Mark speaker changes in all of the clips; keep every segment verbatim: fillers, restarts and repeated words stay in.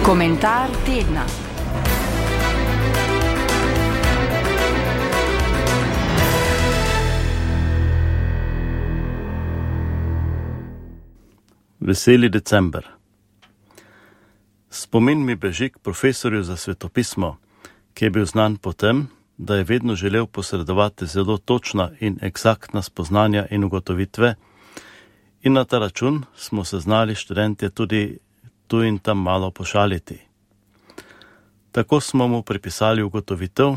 Speaker 1: Komentar tedna.
Speaker 2: Veseli december. Spomin mi beži k profesorju za svetopismo, ki je bil znan po tem, da je vedno želel posredovati zelo točna in eksaktna spoznanja in ugotovitve, in na ta račun smo se znali študentje tudi tu in tam malo pošaliti. Tako smo mu pripisali ugotovitev,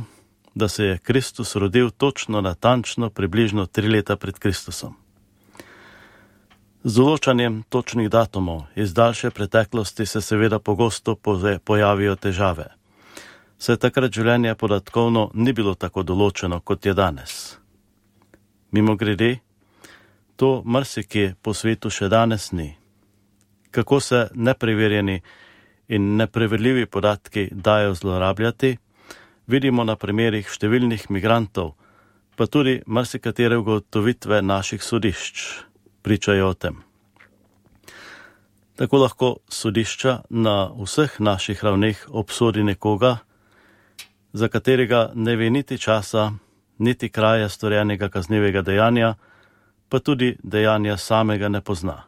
Speaker 2: da se je Kristus rodil točno natančno približno tri leta pred Kristusom. Z določanjem točnih datumov iz daljše preteklosti se seveda pogosto pojavijo težave. Saj takrat življenje podatkovno ni bilo tako določeno, kot je danes. Mimogrede, to marsikje po svetu še danes ni. Kako se nepreverjeni in nepreverljivi podatki dajo zlorabljati, vidimo na primerih številnih migrantov, pa tudi marsikatere ugotovitve naših sodišč pričajo o tem. Tako lahko sodišča na vseh naših ravneh obsodi nekoga, za katerega ne ve niti časa, niti kraja storjenega kaznivega dejanja, pa tudi dejanja samega ne pozna.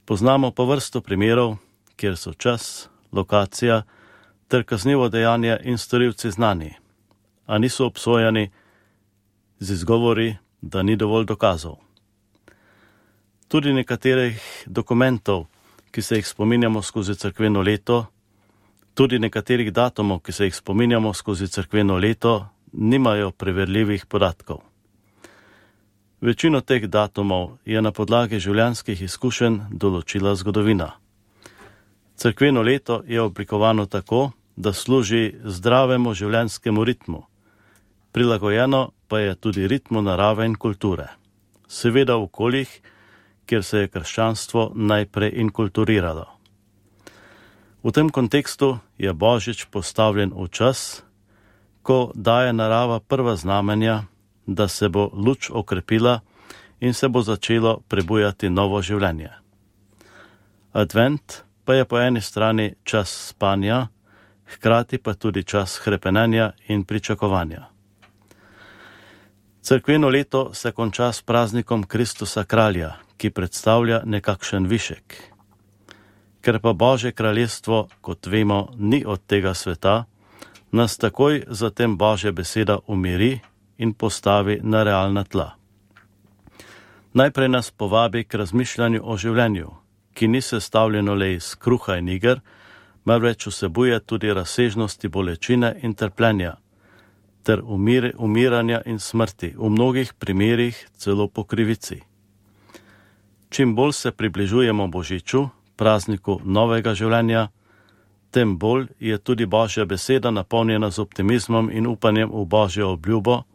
Speaker 2: Poznamo pa vrsto primerov, kjer so čas, lokacija ter kaznivo dejanje in storilci znani, a niso obsojani z izgovori, da ni dovolj dokazov. Tudi nekaterih dokumentov, ki se jih spominjamo skozi cerkveno leto, tudi nekaterih datumov, ki se jih spominjamo skozi cerkveno leto, nimajo preverljivih podatkov. Večino teh datumov je na podlagi življenjskih izkušenj določila zgodovina. Cerkveno leto je oblikovano tako, da služi zdravemu življenjskemu ritmu. Prilagojeno pa je tudi ritmu narave in kulture. Seveda v okoljih, kjer se je krščanstvo najprej inkulturiralo. V tem kontekstu je Božič postavljen v čas, ko daje narava prva znamenja, da se bo luč okrepila in se bo začelo prebujati novo življenje. Advent pa je po eni strani čas spanja, hkrati pa tudi čas hrepenenja in pričakovanja. Cerkveno leto se konča s praznikom Kristusa kralja, ki predstavlja nekakšen višek. Ker pa Božje kraljestvo, kot vemo, ni od tega sveta, nas takoj zatem Božja beseda umiri in postavi na realna tla. Najprej nas povabi k razmišljanju o življenju, ki ni sestavljeno le iz kruha in iger, marveč vsebuje tudi razsežnosti bolečine in trpljenja, ter umir, umiranja in smrti, v mnogih primerih celo po krivici. Čim bolj se približujemo Božiču, prazniku novega življenja, tem bolj je tudi Božja beseda napolnjena z optimizmom in upanjem v Božjo obljubo,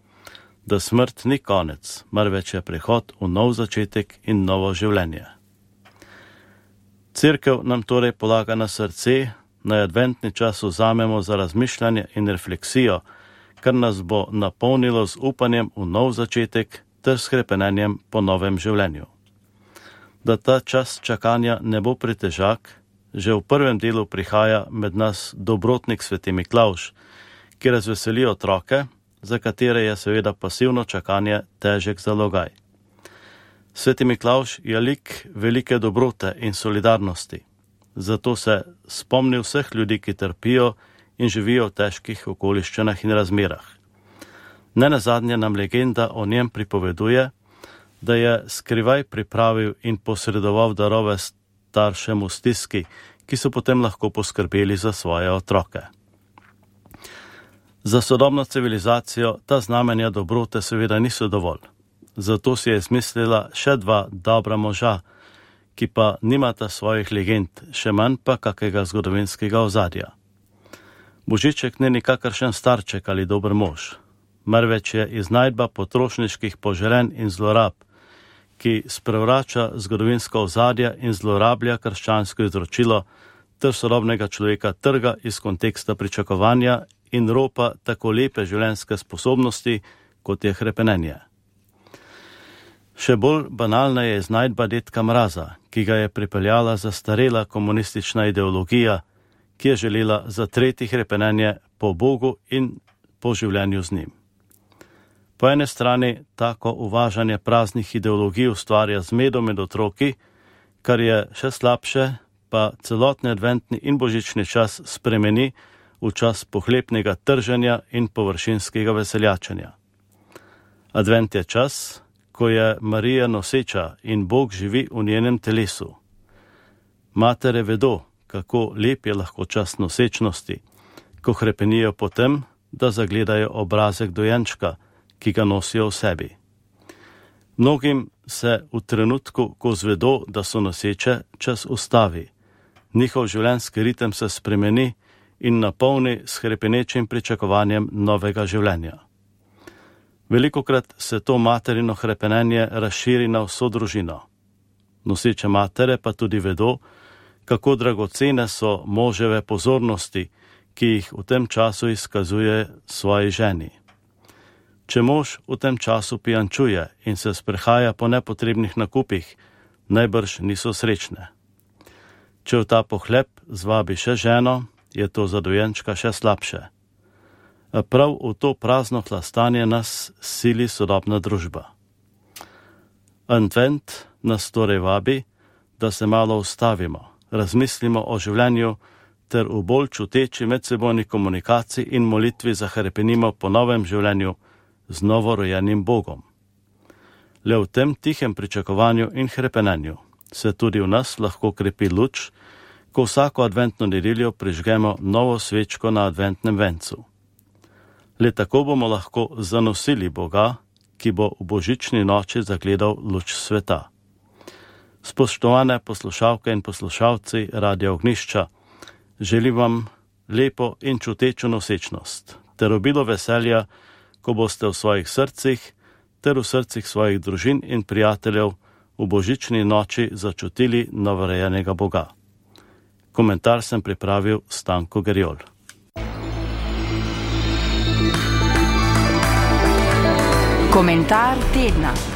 Speaker 2: da smrt ni konec, marveč je prehod v nov začetek in novo življenje. Cerkev nam torej polaga na srce, naj adventni čas vzamemo za razmišljanje in refleksijo, kar nas bo napolnilo z upanjem v nov začetek ter s hrepenenjem po novem življenju. Da ta čas čakanja ne bo pretežak, že v prvem delu prihaja med nas dobrotnik sveti Miklavž, ki razveseli otroke, za katere je seveda pasivno čakanje težek zalogaj. Sveti Miklavž je lik velike dobrote in solidarnosti, zato se spomni vseh ljudi, ki trpijo in živijo v težkih okoliščinah in razmerah. Nenazadnje nam legenda o njem pripoveduje, da je skrivaj pripravil in posredoval darove staršem v stiski, ki so potem lahko poskrbeli za svoje otroke. Za sodobno civilizacijo ta znamenja dobrote seveda niso dovolj. Zato si je izmislila še dva dobra moža, ki pa nimata svojih legend, še manj pa kakega zgodovinskega ozadja. Božiček ni nikakršen starček ali dober mož, marveč je iznajdba potrošniških poželenj in zlorab, ki sprevrača zgodovinsko ozadje in zlorablja krščansko izročilo ter sodobnega človeka trga iz konteksta pričakovanja in ropa tako lepe življenjske sposobnosti, kot je hrepenenje. Še bolj banalna je iznajdba dedka Mraza, ki ga je pripeljala zastarela komunistična ideologija, ki je želela zatreti hrepenenje po Bogu in po življenju z njim. Po ene strani tako uvažanje praznih ideologij ustvarja zmedo med otroki, kar je še slabše, pa celotni adventni in božični čas spremeni v čas pohlepnega trženja in površinskega veseljačenja. Advent je čas, ko je Marija noseča in Bog živi v njenem telesu. Matere vedo, kako lep je lahko čas nosečnosti, ko hrepenijo po tem, da zagledajo obrazek dojenčka, ki ga nosijo v sebi. Mnogim se v trenutku, ko zvedo, da so noseče, čas ustavi. Njihov življenjski ritem se spremeni in napolni s hrepenečim pričakovanjem novega življenja. Velikokrat se to materino hrepenenje razširi na vso družino. Noseče matere pa tudi vedo, kako dragocene so moževe pozornosti, ki jih v tem času izkazuje svoji ženi. Če mož v tem času pijančuje in se sprehaja po nepotrebnih nakupih, najbrž niso srečne. Če v ta pohlep zvabi še ženo, je to za dojenčka še slabše. A prav v to prazno hlastanje nas sili sodobna družba. Advent nas torej vabi, da se malo ustavimo, razmislimo o življenju ter v bolj čuteči medsebojni komunikaciji in molitvi zahrepenimo po novem življenju z novorojenim Bogom. Le v tem tihem pričakovanju in hrepenenju se tudi v nas lahko krepi luč, ko vsako adventno nedeljo prižgemo novo svečko na adventnem vencu. Le tako bomo lahko zanosili Boga, ki bo v božični noči zagledal luč sveta. Spoštovane poslušalke in poslušalci Radia Ognjišča, želim vam lepo in čutečo nosečnost ter obilo veselja, ko boste v svojih srcih ter v srcih svojih družin in prijateljev v božični noči začutili novorojenega Boga. Komentar sem pripravil Stanko Gerjol.
Speaker 1: Komentar tedna.